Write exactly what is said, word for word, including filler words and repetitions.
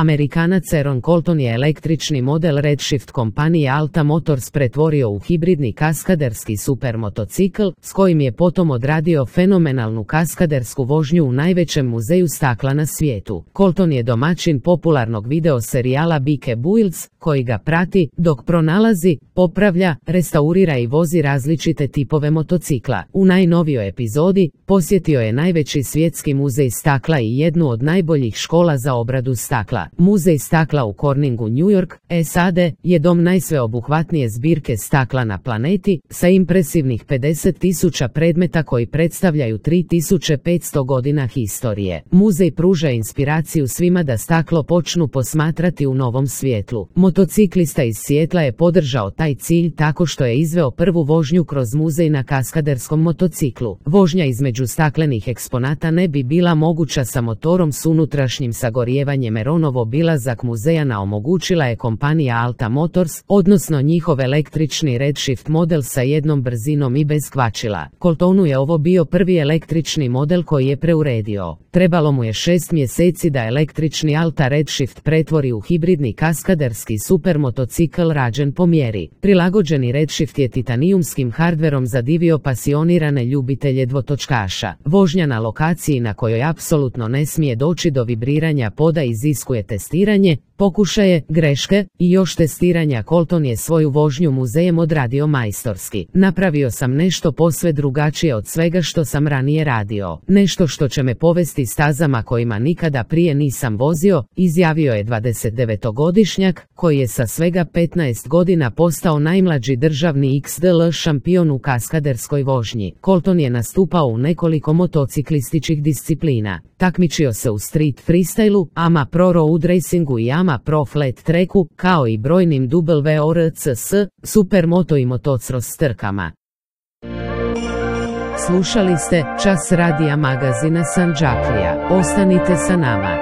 Amerikanac Aaron Colton je električni model Redshift kompanije Alta Motors pretvorio u hibridni kaskaderski supermotocikl, s kojim je potom odradio fenomenalnu kaskadersku vožnju u najvećem muzeju stakla na svijetu. Colton je domaćin popularnog video serijala Bike Builds, koji ga prati dok pronalazi, popravlja, restaurira i vozi različite tipove motocikla. U najnovijoj epizodi posjetio je najveći svjetski muzej stakla i jednu od najboljih škola za obradu stakla. Muzej stakla u Corningu, New York, S A D, je dom najsveobuhvatnije zbirke stakla na planeti, sa impresivnih pedeset tisuća predmeta koji predstavljaju tri tisuće petsto godina historije. Muzej pruža inspiraciju svima da staklo počnu posmatrati u novom svjetlu. Motociklista iz Sijetla je podržao taj cilj tako što je izveo prvu vožnju kroz muzej na kaskaderskom motociklu. Vožnja između staklenih eksponata ne bi bila moguća sa motorom s unutrašnjim sagorijevanjem. Aaronov obilazak muzeja omogućila je kompanija Alta Motors, odnosno njihov električni Redshift model sa jednom brzinom i bez kvačila. Coltonu je ovo bio prvi električni model koji je preuredio. Trebalo mu je šest mjeseci da električni Alta Redshift pretvori u hibridni kaskaderski supermotocikl rađen po mjeri. Prilagođeni Redshift je titanijumskim hardverom zadivio pasionirane ljubitelje dvotočkaša. Vožnja na lokaciji na kojoj apsolutno ne smije doći do vibriranja poda iziskuje testiranje, pokušaje, greške i još testiranja. Colton je svoju vožnju muzejem odradio majstorski. Napravio sam nešto posve drugačije od svega što sam ranije radio. Nešto što će me povesti stazama kojima nikada prije nisam vozio, izjavio je dvadesetdevetogodišnjak, koji je sa svega petnaest godina postao najmlađi državni X D L šampion u kaskaderskoj vožnji. Colton je nastupao u nekoliko motociklističkih disciplina. Takmičio se u street freestylu, A M A Pro Road Racingu i A M A Pro Flat Tracku, kao i brojnim W R C S, supermoto i motocross trkama. Slušali ste Čas radija magazina Sandžaklija. Ostanite sa nama.